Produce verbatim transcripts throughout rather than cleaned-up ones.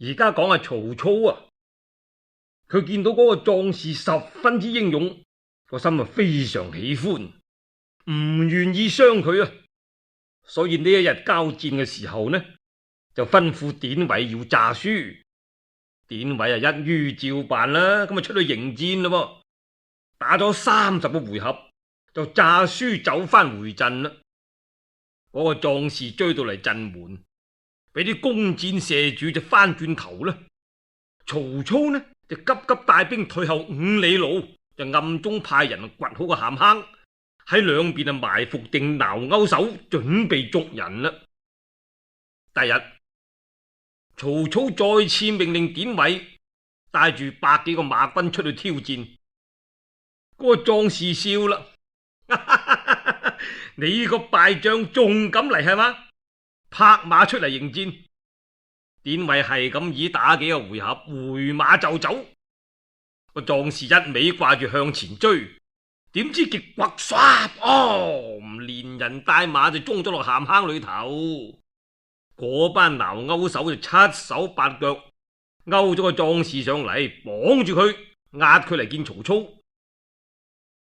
而家講係曹操啊，佢見到嗰個壯士十分之英勇，個心啊非常喜歡，唔願意傷佢啊。所以呢一日交戰嘅時候呢，就吩咐典韋要詐輸。典韋啊一於照辦啦，咁啊出去迎戰咯。打咗三十個回合，就詐輸走翻回陣啦。嗰、那個壯士追到嚟陣門，俾啲弓箭射住就翻轉頭啦。曹操呢就急急帶兵退後五里路，就暗中派人掘好個陷坑，喺兩邊啊埋伏定撓鈎手，準備捉人啦。第日曹操再次命令典韋帶住百幾個馬軍出去挑戰。嗰、那個壯士笑啦，你個敗將仲敢嚟係嘛？拍馬出嚟迎戰。典韋係咁以打幾個回合，回馬就走。個壯士一味掛住向前追，點知極刮唰哦，連人帶馬就衝咗落陷坑裏頭。嗰班撓鈎手就七手八腳勾咗個壯士上嚟，綁住佢，押佢嚟見曹操。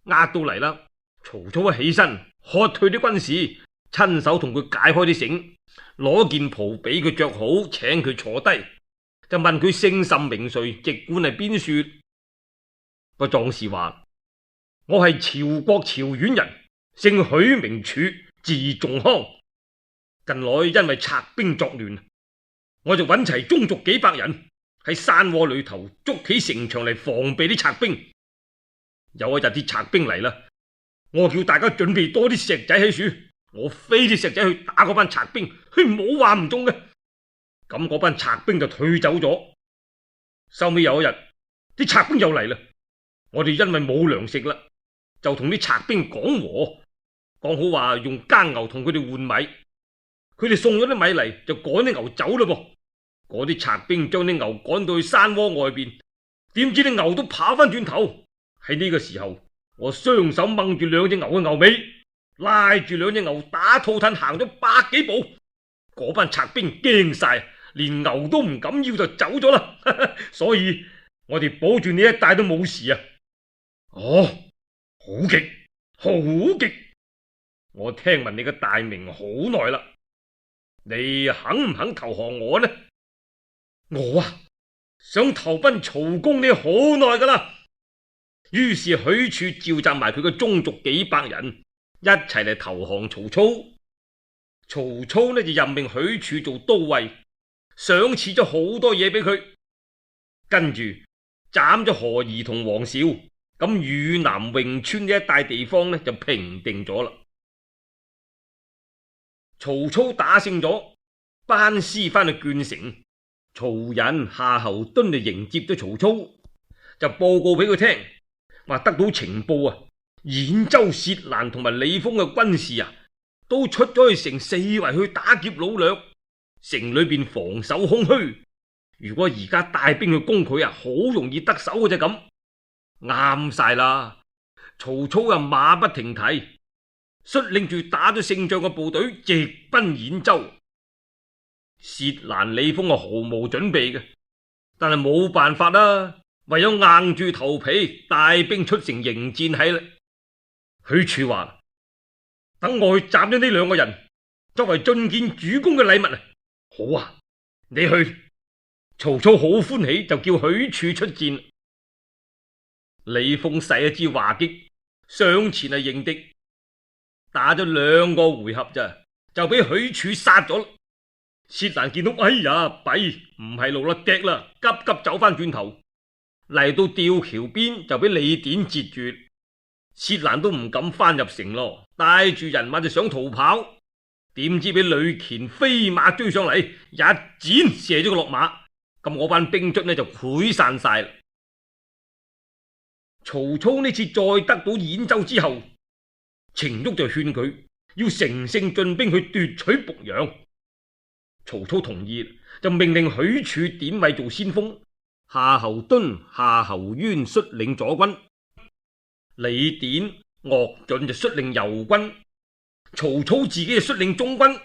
押到嚟啦，曹操一起身，喝退啲軍士，親手同佢解開啲繩，攞件袍俾佢着好，請佢坐低，就問佢姓甚名誰，籍貫係邊處。個壯士話：我係曹國曹縣人，姓許名柱，字仲康。近來因為賊兵作亂，我就揾齊宗族幾百人喺山窩裏頭築起城牆嚟防備啲賊兵。有一日啲賊兵嚟啦，我叫大家準備多啲石仔喺處，我飛啲石仔去打嗰班賊兵，佢冇話唔中嘅。咁嗰班賊兵就退走咗。收尾有一日，啲賊兵又嚟啦，我哋因為冇糧食啦，就同啲賊兵講和，講好話用耕牛同佢哋換米。佢哋送咗啲米嚟，就趕啲牛走啦噃。嗰啲賊兵將啲牛趕到去山窩外邊，點知啲牛都跑翻轉頭。喺呢個時候，我雙手掹住兩隻牛嘅牛尾，拉住兩隻牛打兔褪行咗百幾步。嗰班賊兵驚晒，連牛都唔敢要就走咗啦。所以我哋保住呢一帶都冇事啊。哦，好極，好極！我聽聞你嘅大名好耐啦。你肯唔肯投降我呢？我啊，想投奔曹公你好耐噶啦。於是許褚召集埋佢嘅宗族幾百人一齊嚟投降曹操。曹操呢就任命許褚做都尉，賞賜咗好多嘢俾佢，跟住斬咗何儀同黃紹，咁汝南榮川呢一帶地方呢就平定咗啦。曹操打勝咗，班師翻去鄄城，曹仁、夏侯惇就迎接咗曹操，就報告俾佢聽，話得到情報啊，兗州薛蘭同埋李豐嘅軍士啊，都出咗去城四圍去打劫擄掠，城裏邊防守空虛。如果而家帶兵去攻佢啊，好容易得手嘅啫。咁啱晒啦！曹操啊，馬不停蹄，率領住打咗勝仗嘅部隊直奔兗州。薛蘭、李豐啊，毫無準備嘅，但係冇辦法啦，唯有硬住頭皮帶兵出城迎戰喺啦。許褚話：等我去斬咗呢兩個人，作為進見主公嘅禮物啊！好啊，你去。曹操好歡喜，就叫許褚出戰。李豐使一支話擊上前嚟迎敵，打咗兩個回合咋，就俾許褚殺咗。薛蘭見到，哎呀，弊，唔係路啦，跌啦，急急走翻轉頭，嚟到吊橋邊就俾李典截住。薛蘭都唔敢翻入城咯，帶住人馬就想逃跑，點知俾呂虔飛馬追上嚟，一箭射咗佢落馬，咁我班兵卒呢就潰散晒啦。曹操呢次再得到兗州之後，程昱就勸佢要乘勝進兵去奪取濮陽。曹操同意，就命令許褚、典韋做先鋒，夏侯惇、夏侯淵率領左軍，李典、岳準就率領右軍，曹操自己就率領中軍，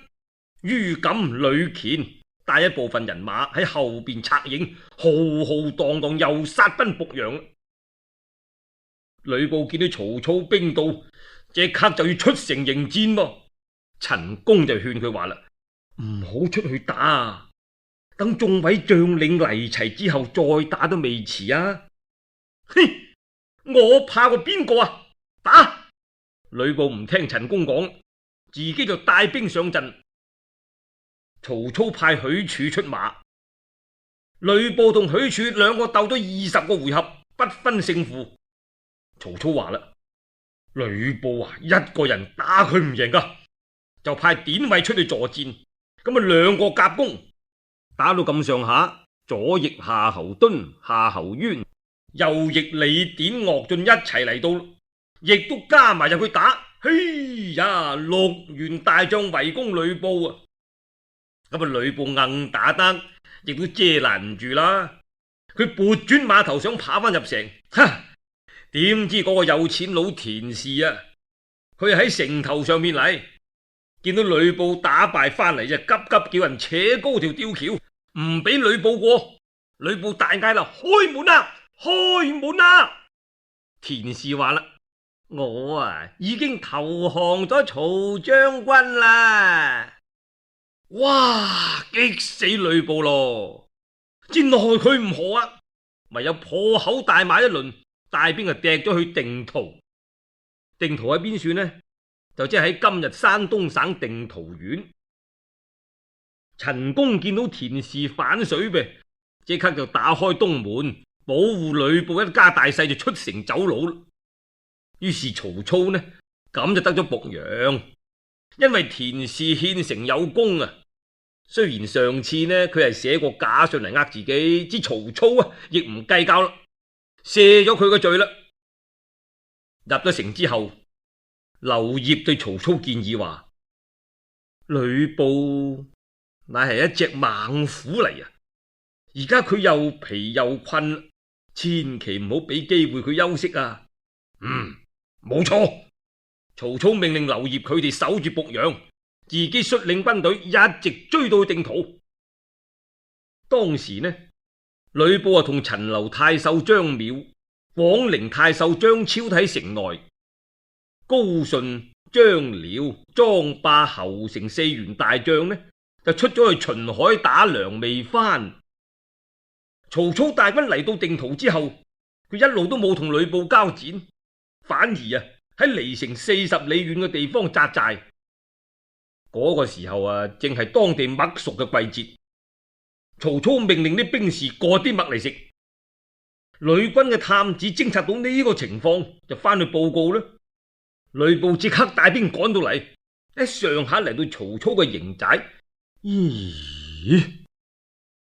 于錦、呂虔帶一部分人馬喺後邊策應，浩浩蕩蕩又殺奔濮陽。呂布見到曹操兵到，即刻就要出城迎戰噃。陳宮就勸佢話啦：唔好出去打，等眾位將領嚟齊之後再打都未遲啊！哼，我怕過邊個啊？打！呂布唔聽陳宮講，自己就帶兵上陣。曹操派許褚出馬，呂布同許褚兩個鬥咗二十個回合，不分勝負。曹操話啦：呂布啊，一個人打佢唔贏噶，就派典韋出去助戰。咁啊，兩個夾攻，打到咁上下，左翼夏侯惇、夏侯淵，右翼李典、岳進一齊嚟到，亦都加埋入去打。嘿呀，六員大將圍攻呂布啊！咁啊，呂布硬打得，亦都遮攔唔住啦。佢撥轉馬頭想跑翻入城，哈！點知嗰個有錢佬田氏啊，佢喺城頭上面嚟，見到呂布打敗翻嚟，就急急叫人扯高條吊橋，唔俾呂布過。呂布大嗌啦：開門啊！開門啊！田氏話啦：我啊已經投降咗曹將軍啦！哇！激死呂布咯！只奈佢唔何啊，唯有破口大罵一輪，帶兵啊趯咗去定陶。定陶喺邊處呢？就即係喺今日山東省定陶縣。陳宮見到田氏反水唄，即刻就打開東門，保護呂布一家大細，就出城走佬。於是曹操呢，咁就得咗濮陽。因為田氏獻城有功啊，雖然上次呢佢係寫過假信嚟呃自己，知曹操啊亦唔計較啦，卸咗佢個罪啦。入咗城之後，劉燁對曹操建議話：呂布乃係一隻猛虎嚟啊，而家佢又疲又困，千祈唔好俾機會佢休息啊。嗯，冇錯。曹操命令劉燁佢哋守住濮陽，自己率領軍隊一直追到定陶。當時呢，呂布啊同陳留太守張邈、廣陵太守張超喺城內，高順、張遼、莊霸、侯成四員大將呢就出咗去巡海打糧未翻。曹操大軍嚟到定陶之後，佢一路都冇同呂布交戰，反而啊喺離城四十里遠嘅地方紮寨。嗰個時候啊，正係當地麥熟嘅季節。曹操命令啲兵士割啲麥嚟食。呂軍嘅探子偵察到呢個情況，就翻去報告啦。呂布即刻帶兵趕到嚟，一上下嚟到曹操嘅營寨。咦？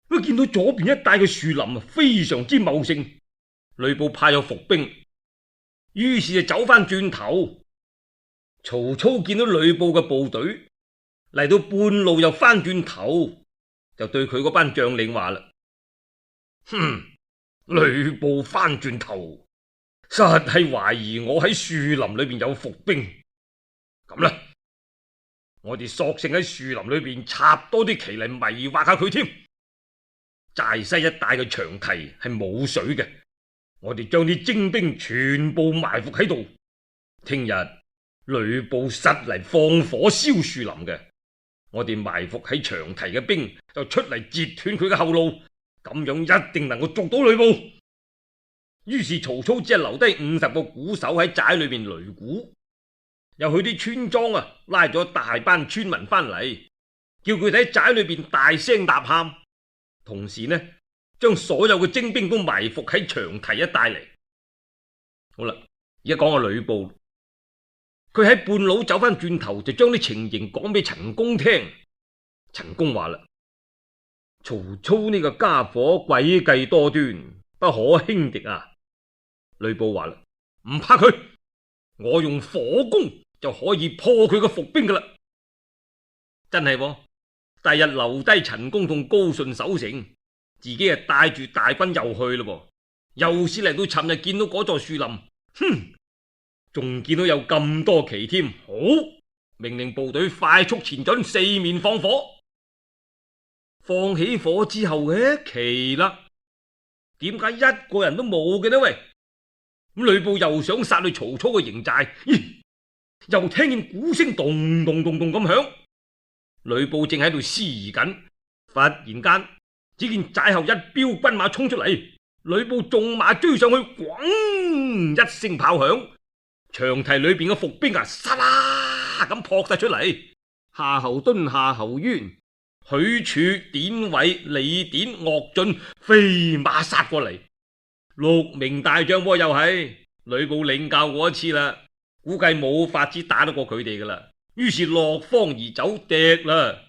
佢見到左邊一帶嘅樹林啊，非常之茂盛。呂布派有伏兵。於是就走翻轉頭，曹操見到呂布嘅部隊嚟到半路又翻轉頭，就對佢嗰班將領話啦：哼，呂布翻轉頭，實係懷疑我喺樹林裏邊有伏兵。咁啦，我哋索性喺樹林裏邊插多啲旗嚟迷惑下佢添。寨西一帶嘅長堤係冇水嘅。我哋將啲精兵全部埋伏喺度，聽日呂布實嚟放火燒樹林嘅，我哋埋伏喺長堤嘅兵就出嚟截斷佢嘅後路，咁樣一定能夠捉到呂布。於是曹操只係留低五十個鼓手喺寨裏邊擂鼓，又去啲村莊啊拉咗大班村民翻嚟，叫佢哋喺寨裏邊大聲吶喊，同時呢，將所有嘅精兵都埋伏喺長堤一帶嚟。好啦，而家講下呂布，佢喺半路走翻轉頭，就將啲情形講俾陳宮聽。陳宮話啦：曹操呢個家伙詭計多端，不可輕敵啊！呂布話啦：唔怕佢，我用火攻就可以破佢個伏兵噶啦。真係喎，第日留低陳宮同高順守城。自己啊帶住大軍又去咯，又是嚟到尋日見到嗰座樹林，哼，仲見到有咁多旗添。好，命令部隊快速前進，四面放火。放起火之後嘅奇啦，點解一個人都冇嘅呢？喂，咁呂布又想殺去曹操嘅營寨，咦，又聽見鼓聲咚咚咚咚咁響。呂布正喺度思疑緊，忽然間只見寨後一彪軍馬衝出嚟，呂布縱馬追上去，咣一聲炮響，長堤裏邊嘅伏兵啊，沙啦咁撲晒出嚟，夏侯惇、夏侯淵、許褚、典韋、李典、岳進飛馬殺過嚟，六名大將喎，又係呂布領教過一次啦，估計冇法子打得過佢哋噶啦，於是落荒而走，趯啦。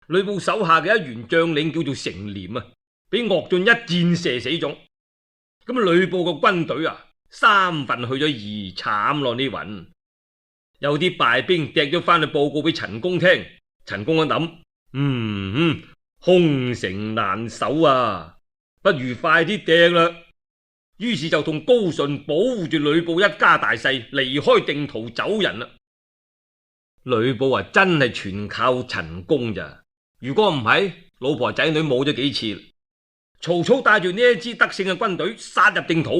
呂布手下嘅一員將領叫做成廉啊，俾岳進一箭射死咗。咁呂布個軍隊啊，三分去咗二，慘咯呢云。有啲敗兵趯咗翻去報告俾陳宮聽，陳宮一諗，嗯嗯，空城難守啊，不如快啲趯啦。於是就同高順保護住呂布一家大細，離開定陶走人啦。呂布啊，真係全靠陳宮咋，如果唔係，老婆仔女冇咗幾次。曹操帶住呢一支得勝嘅軍隊殺入定陶，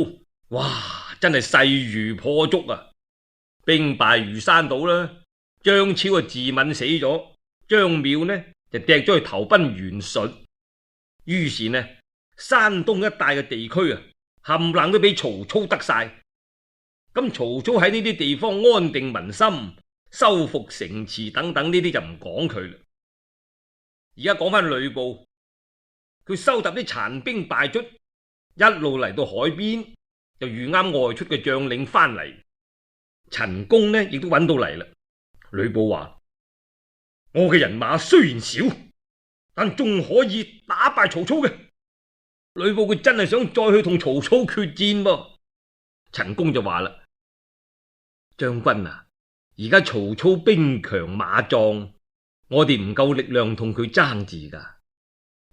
哇，真係勢如破竹啊！兵敗如山倒啦，張超啊自刎死咗，張邈呢就趯咗去投奔袁術。於是呢，山東一帶嘅地區啊，冚唪唥都俾曹操得晒。咁曹操喺呢啲地方安定民心，修復城池等等呢啲就唔講佢啦。而家講翻呂布，佢收集啲殘兵敗卒，一路嚟到海邊，就遇啱外出嘅將領翻嚟。陳宮呢亦都揾到嚟啦。呂布話：我嘅人馬雖然少，但仲可以打敗曹操嘅。呂布佢真係想再去同曹操決戰噃。陳宮就話啦：將軍啊，而家曹操兵強馬壯，我哋唔夠力量同佢爭住噶，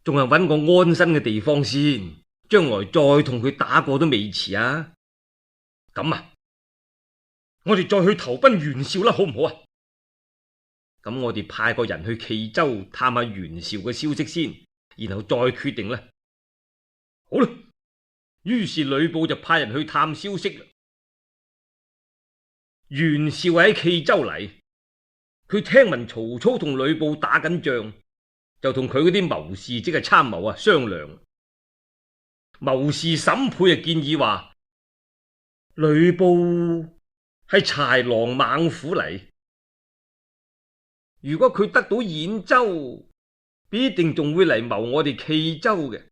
仲係揾個安身嘅地方先，將來再同佢打過都未遲啊。咁啊，我哋再去投奔袁紹啦，好唔好啊？咁我哋派個人去冀州探下袁紹嘅消息先，然後再決定啦。好啦，於是呂布就派人去探消息啦。袁紹喺冀州嚟，佢聽聞曹操同呂布打緊仗，就同佢嗰啲謀士即係參謀啊商量。謀士審配啊建議話：呂布係豺狼猛虎嚟，如果佢得到兗州，必定仲會嚟謀我哋冀州嘅，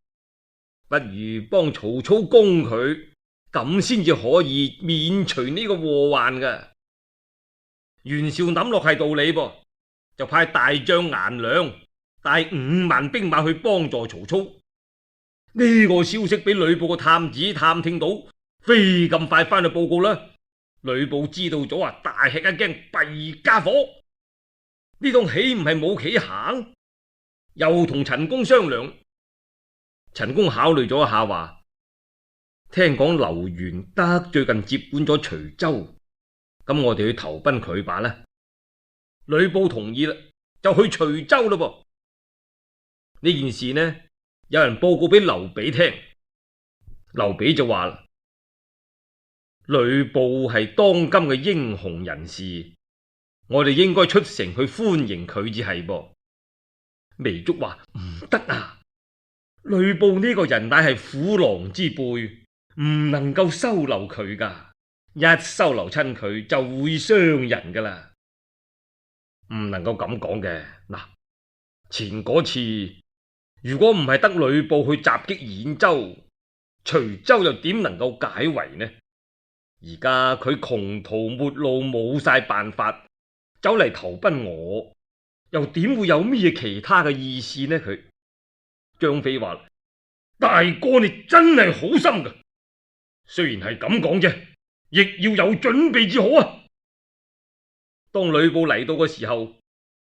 不如幫曹操攻佢，咁先至可以免除呢個禍患噶。袁紹諗落係道理噃，就派大將顏良帶五萬兵馬去幫助曹操。呢個消息俾呂布個探子探聽到，飛咁快翻去報告啦。呂布知道咗啊，大吃一驚，弊家伙，呢檔豈唔係冇棋行？又同陳宮商量。陳宮考慮咗一下，話：聽講劉元德最近接管咗徐州，咁我哋去投奔佢吧啦。呂布同意啦，就去徐州咯噃。呢件事呢，有人報告俾劉備聽，劉備就話啦：呂布係當今嘅英雄人士，我哋應該出城去歡迎佢至係噃。糜竺話：唔得啊，呂布呢個人乃係虎狼之輩，唔能夠收留佢噶，一收留親佢就會傷人噶啦，唔能夠咁講嘅。嗱，前嗰次如果唔係得呂布去襲擊兗州，徐州又點能夠解圍呢？而家佢窮途末路，冇晒辦法，走嚟投奔我，又點會有咩其他嘅意思呢？佢張飛話：大哥你真係好心噶，雖然係咁講啫，亦要有準備至好啊。當呂布嚟到嘅時候，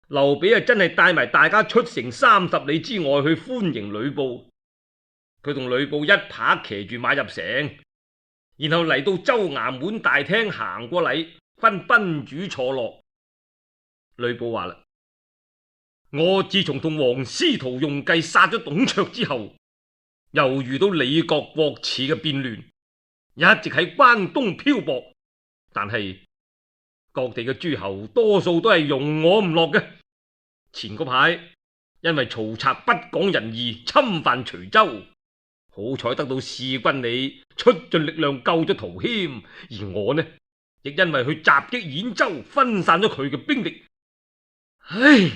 劉備啊真係帶埋大家出城三十里之外去歡迎呂布。佢同呂布一拍騎住馬入城，然後嚟到州衙門大廳行過禮，分賓主坐落。呂布話啦：我自從同王司徒用計殺咗董卓之後，又遇到李國國恥嘅變亂，一直喺關東漂泊，但係各地嘅諸侯多數都係容我唔落嘅。前嗰排因為曹賊不講仁義，侵犯徐州，好彩得到弒君你出盡力量救咗陶謙，而我呢亦因為去襲擊兗州，分散咗佢嘅兵力。唉，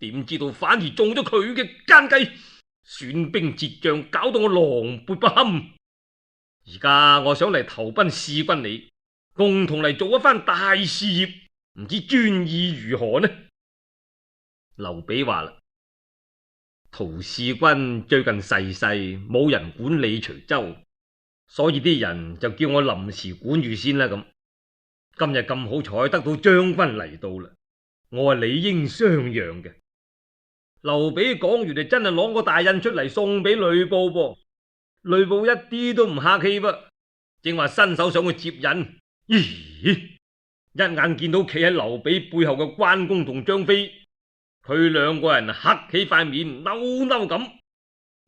點知道反而中咗佢嘅奸計，損兵折將，搞到我狼狽不堪。而家我想嚟投奔弒君你，共同嚟做一番大事業，唔知專意如何呢？劉備話啦，陶弒君最近逝世，冇人管理徐州，所以啲人就叫我臨時管住先啦。咁今日咁好彩得到將軍嚟到啦，我係理應相讓嘅。劉備講完就真係攞個大印出嚟送俾呂布噃，呂布一啲都唔客氣噃，正話伸手想去接印，咦，一眼見到企喺劉備背後嘅關公同張飛，佢兩個人黑起塊面，嬲嬲咁。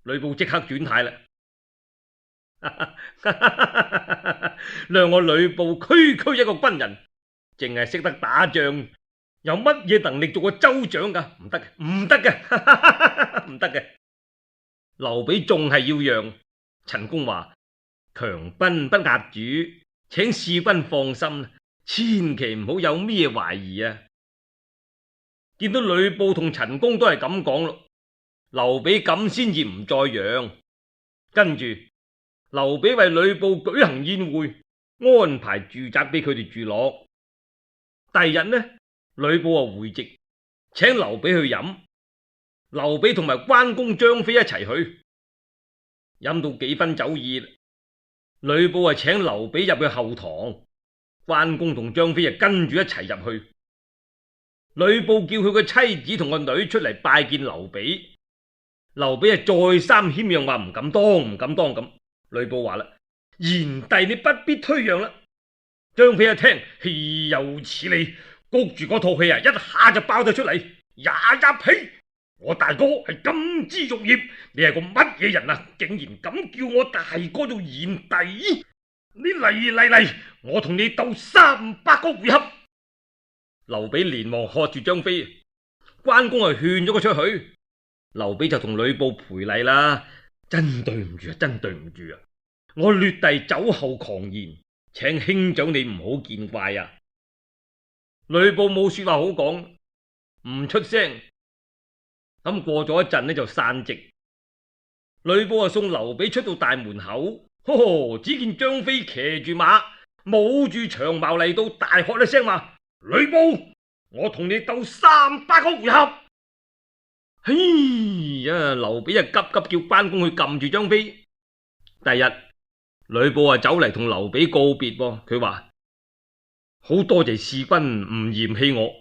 呂布即刻轉態啦，諒我呂布區區一個軍人，淨係識得打仗，有乜嘢能力做個州長噶？唔得嘅，唔得嘅，唔得嘅。劉備仲係要讓。陳宮話：強賓不壓主，請弒君放心，千祈唔好有咩懷疑啊！見到呂布同陳宮都係咁講咯，劉備咁先至唔再讓。跟住劉備為呂布舉行宴會，安排住宅俾佢哋住落。第二日呢，呂布啊回席，請劉備去飲。劉備同埋關公、張飛一齊去，飲到幾分酒意，呂布啊請劉備入去後堂，關公同張飛啊跟住一齊入去。呂布叫佢個妻子同個女出嚟拜見劉備，劉備啊再三謙讓，話唔敢當唔敢當咁。呂布話啦：賢弟你不必推讓啦。張飛一聽，豈有此理，谷住嗰套氣啊一下就爆咗出嚟，呀呀呸！我大哥係金枝玉葉，你係個乜嘢人啊？竟然敢叫我大哥做賢弟？你嚟嚟嚟，我同你鬥三百個回合！劉備連忙喝住張飛，關公係勸咗佢出去，劉備就同呂布賠禮啦。真對唔住啊，真對唔住啊！我劣弟酒後狂言，請兄長你唔好見怪啊！呂布冇說話好講，唔出聲。咁過咗一陣呢，就散席。呂布啊送劉備出到大門口，呵呵，只見張飛騎住馬，舞住長矛嚟到，大喝一聲話：呂布，我同你鬥三百個回合！嘿呀，劉備啊急急叫關公去撳住張飛。第日呂布啊走嚟同劉備告別噃，佢話：好多謝弒君唔嫌棄我。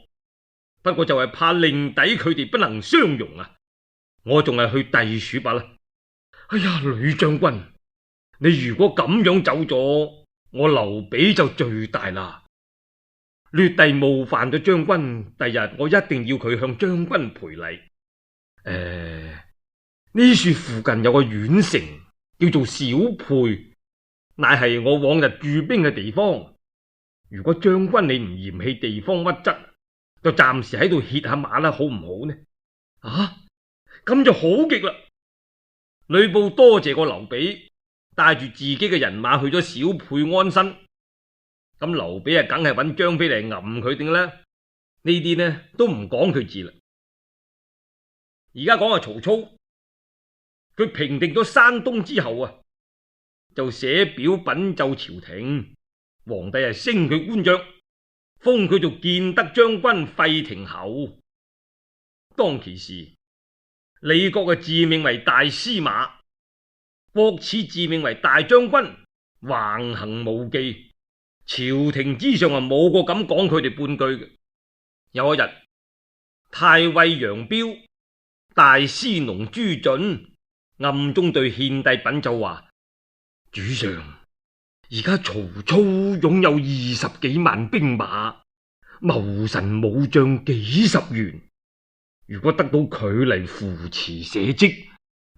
不過就係怕令弟佢哋不能相容啊！我仲係去隸屬罷啦。哎呀，呂將軍，你如果咁樣走咗，我劉備就罪大啦。劣弟冒犯咗將軍，第日我一定要佢向將軍賠禮。誒、呃，呢處附近有個縣城叫做小沛，乃係我往日駐兵嘅地方。如果將軍你唔嫌棄地方屈質，就暫時喺度歇下馬啦，好唔好呢？啊，咁就好極啦！呂布多謝過劉備，帶住自己嘅人馬去咗小沛安身。咁劉備啊，梗係揾張飛嚟揞佢定啦。呢啲呢都唔講佢字啦。而家講下曹操，佢平定咗山東之後啊，就寫表稟奏朝廷，皇帝係升佢官爵，封佢做建德將軍、費亭侯。當其時，李國嘅自命為大司馬，郭汜自命為大將軍，橫行無忌。朝廷之上啊，冇個敢講佢哋半句嘅。有一日，太尉楊彪、大司農朱准暗中對獻帝稟奏話：主上，而家曹操擁有二十幾萬兵馬，謀臣武將幾十員。如果得到佢嚟扶持社稷，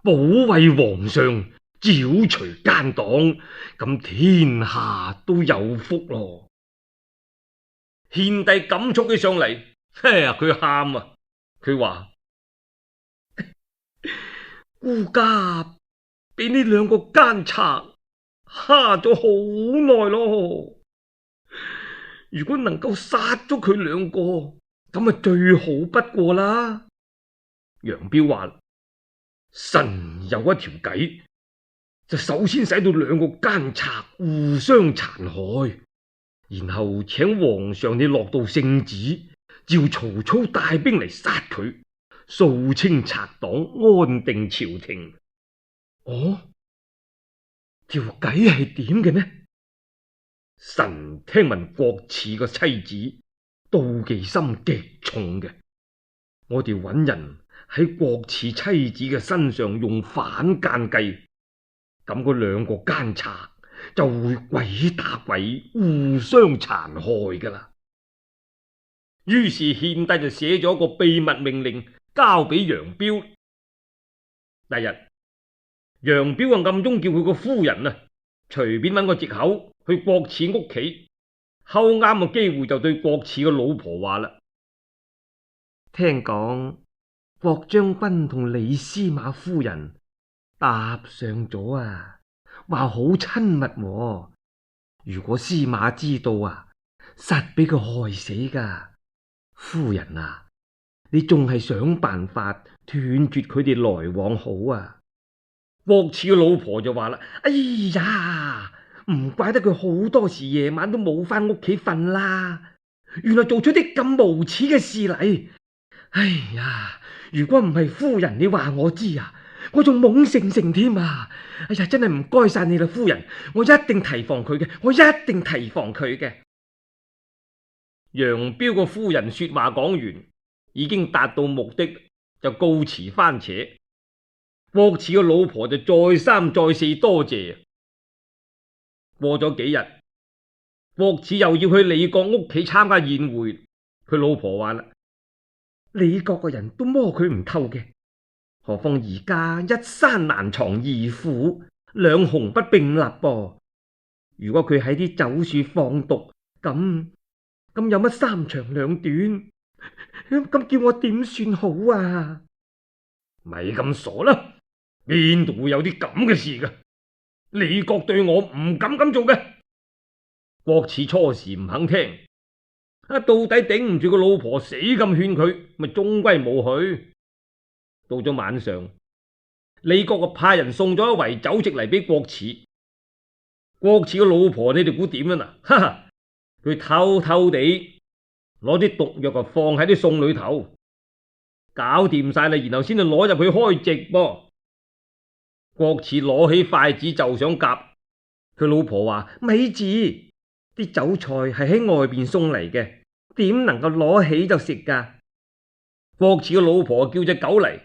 保衛皇上，剿除奸黨，咁天下都有福咯。獻帝感觸起上嚟，嘿呀，佢喊啊！佢話：孤家俾呢兩個奸賊蝦咗好耐咯。如果能夠殺咗佢兩個，咁啊最好不過啦。楊彪話：臣有一條計，就首先使到兩個奸賊互相殘害，然後請皇上你落到聖旨，召曹操帶兵嚟殺佢，掃清賊黨，安定朝廷。哦，條計係點嘅呢？臣聽聞郭汜個妻子妒忌心極重嘅，我哋揾人喺郭汜妻子嘅身上用反間計，咁嗰兩個奸賊就會鬼打鬼，互相殘害噶啦。於是獻帝就寫咗個秘密命令交俾楊彪。第日楊彪啊暗中叫佢個夫人啊隨便揾個藉口去郭汜屋企，睺啱個機會就對郭汜個老婆話啦：聽講郭將軍同李司馬夫人搭上咗啊，話好親密喎。如果司馬知道啊，實俾佢害死噶。夫人啊，你仲係想辦法斷絕佢哋來往好啊。郭汜嘅老婆就話啦：哎呀，唔怪得佢好多時夜晚都冇翻屋企瞓啦，原來做出啲咁無恥嘅事嚟。哎呀，如果唔係夫人你話我知啊，我仲懵盛盛添啊！哎呀，真係唔該晒你啦，夫人，我一定提防佢嘅，我一定提防佢嘅。楊彪個夫人說話講完，已經達到目的，就告辭番扯。郭汜個老婆就再三再四多謝。過咗幾日，郭汜又要去李傕屋企參加宴會，佢老婆話啦：李國個人都摸佢唔透嘅，何況而家一山難藏二虎，兩雄不並立噃。如果佢喺啲酒處放毒，咁咁有乜三長兩短？咁叫我點算好啊？咪咁傻啦，邊度會有啲咁嘅事噶？李國對我唔敢咁做嘅。郭汜初時唔肯聽，啊，到底頂唔住個老婆死咁勸佢，咪終歸冇去。到咗晚上，李國就派人送咗一圍酒席嚟俾郭汜。郭汜個老婆你哋估點啊？哈哈，佢偷偷地攞啲毒藥啊放喺啲餸裏頭，搞掂晒啦，然後先至攞入去開席噃。郭汜攞起筷子就想夾，佢老婆話：咪住，啲酒菜係喺外邊送嚟嘅，點能夠攞起就食噶？郭汜個老婆叫隻狗嚟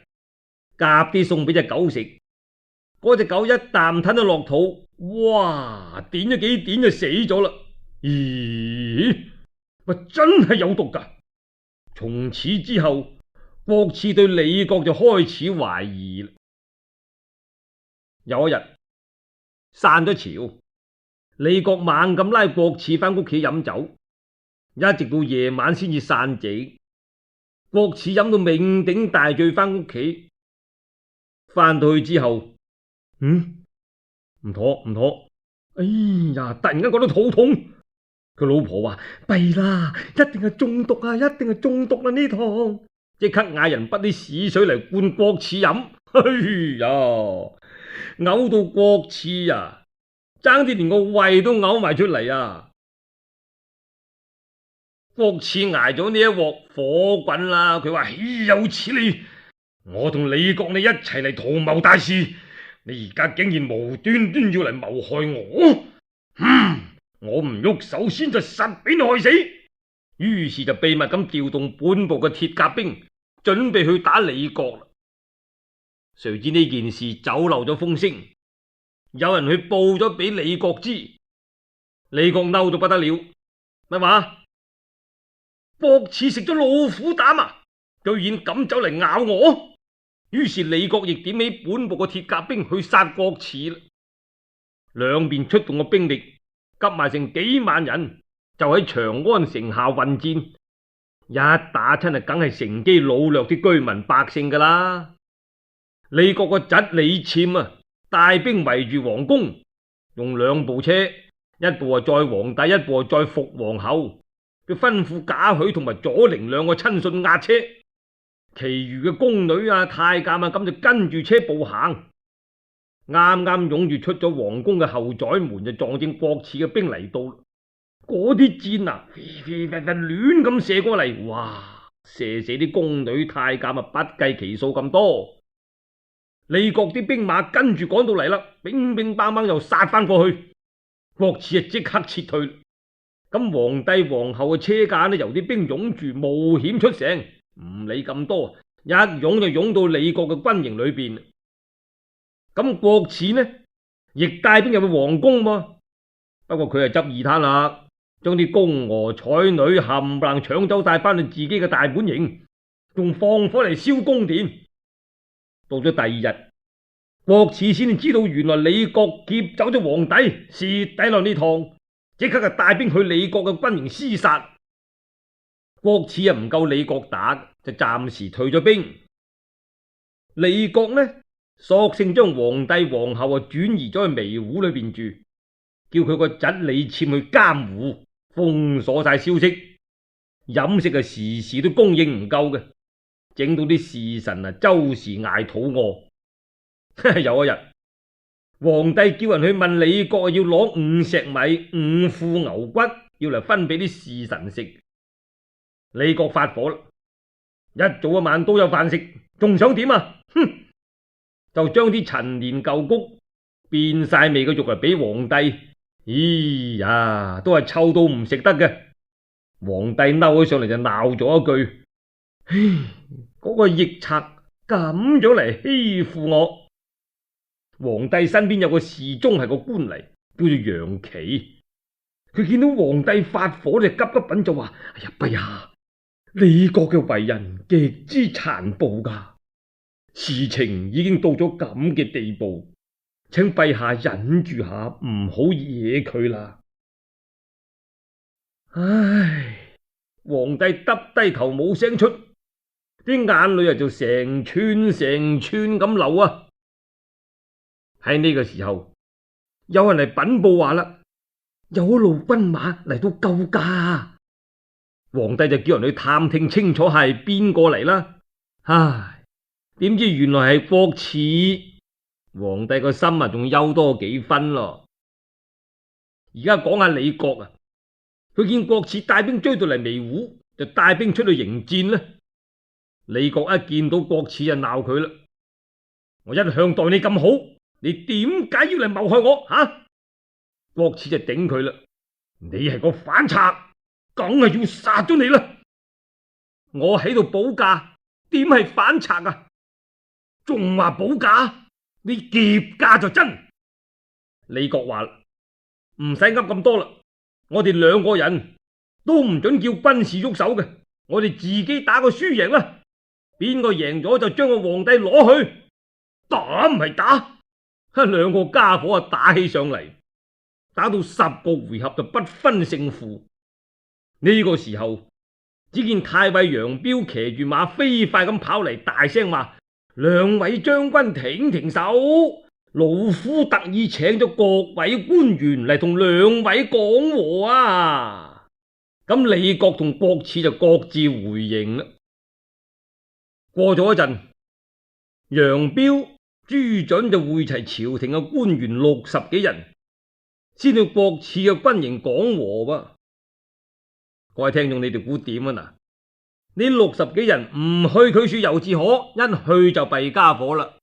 夾啲餸俾隻狗食，嗰隻狗一啖吞咗落肚，哇！點咗幾點就死咗啦。咦？咪真係有毒噶！從此之後，郭汜對李國就開始懷疑啦。有一日散咗朝，李國猛咁拉郭汜翻屋企飲酒，一直到夜晚先至散席。郭汜飲到酩酊大醉翻屋企，翻到去之後，嗯，唔妥唔妥，哎呀，突然間覺得肚痛。佢老婆話：弊啦，一定係中毒啊，一定係中毒啦呢堂，即刻嗌人滗啲屎水嚟灌郭汜飲。哎呀！嘔到郭汜啊，爭啲連個胃都嘔埋出嚟啊！郭汜挨咗呢一鑊火滾啦，佢話：豈有此理！我同李國你一齊嚟圖謀大事，你而家竟然無端端要嚟謀害我，嗯，我唔喐手先就實俾你害死。於是就秘密咁調動本部嘅鐵甲兵，準備去打李國啦。誰知呢件事走漏咗風聲，有人去報咗俾李國知，李國嬲到不得了，乜話？郭汜食咗老虎膽啊！居然敢走嚟咬我。於是李國亦點起本部嘅鐵甲兵去殺郭汜啦。兩邊出動嘅兵力急埋成幾萬人，就喺長安城下混戰。一打親啊，梗係乘機擄掠啲居民百姓噶啦。李國個侄李僭啊，帶兵圍住皇宮，用兩部車，一部啊載皇帝，一部啊載伏皇后。佢吩咐賈詡同埋左丞兩個親信押車，其餘嘅宮女啊、太監啊，咁就跟住車步行。啱啱湧住出咗皇宮嘅後宰門，就撞正郭汜嘅兵嚟到。嗰啲箭啊，飛飛飛飛亂咁射過嚟，哇！射死啲宮女太監啊，不計其數咁多。李國啲兵馬跟住趕到嚟啦，乒乒乓乓又殺翻過去。郭汜啊，即刻撤退。咁皇帝皇后嘅車駕呢，由啲兵擁住，冒險出城，唔理咁多，一擁就擁到李國嘅軍營裏邊。咁郭汜呢，亦帶兵入去皇宮喎。不過佢係執二攤啦，將啲宮娥彩女冚唪唥搶走帶翻去自己嘅大本營，仲放火嚟燒宮殿。到咗第二日，郭汜先知道原來李國劫走咗皇帝，蝕底落呢趟，即刻就帶兵去李國嘅軍營廝殺。郭汜啊唔夠李國打，就暫時退咗兵。李國呢，索性將皇帝皇后啊轉移咗去微戶裏邊住，叫佢個侄李僭去監護，封鎖晒消息，飲食啊時時都供應唔夠嘅，整到啲侍臣啊周時挨肚餓。有一日，皇帝叫人去問李國要攞五石米、五副牛骨，要嚟分俾啲侍臣食。李國發火啦，一早一晚都有飯食，仲想點啊？哼！就將啲陳年舊穀變晒味嘅肉嚟俾皇帝。咦呀，都係臭到唔食得嘅。皇帝嬲起上嚟就鬧咗一句：唉，嗰個逆賊咁樣嚟欺負我！皇帝身邊有個侍中係個官嚟，叫做楊岐。佢見到皇帝發火就急急稟就話：哎呀，陛下，李國嘅為人極之殘暴噶，事情已經到咗咁嘅地步，請陛下忍住下，唔好惹佢啦。唉，皇帝耷低頭冇聲出，啲眼淚啊就成串成串咁流啊。喺呢個時候，有人嚟稟報話啦，有一路軍馬嚟到救駕。皇帝就叫人去探聽清楚係邊個嚟啦。唉，點知原來係郭汜。皇帝個心啊仲憂多幾分咯。而家講下李國啊，佢見郭汜帶兵追到嚟微戶，就帶兵出去迎戰啦。李國一見到郭汜就鬧佢啦：我一向待你咁好，你點解要嚟謀害我？吓、啊！郭汜就頂佢啦：你係個反賊，梗係要殺咗你啦！我喺度保駕，點係反賊啊？仲話保駕？你劫駕就真。李國話：唔使噏咁多啦，我哋兩個人都唔准叫軍士喐手嘅，我哋自己打個輸贏啦。邊個贏咗就將個皇帝攞去。打唔係打，兩個家伙啊打起上嚟，打到十個回合就不分勝負。呢個時候，只見太尉楊彪騎住馬飛快咁跑嚟，大聲話：兩位將軍停停手，老夫特意請咗各位官員嚟同兩位講和啊！咁李國同郭汜就各自回營啦。過咗一陣，楊彪、朱准就會齊朝廷嘅官員六十幾人，先到郭汜嘅軍營講和噃。各位聽眾，你哋估點啊？嗱，呢六十幾人唔去佢處猶自可，一去就弊家伙啦。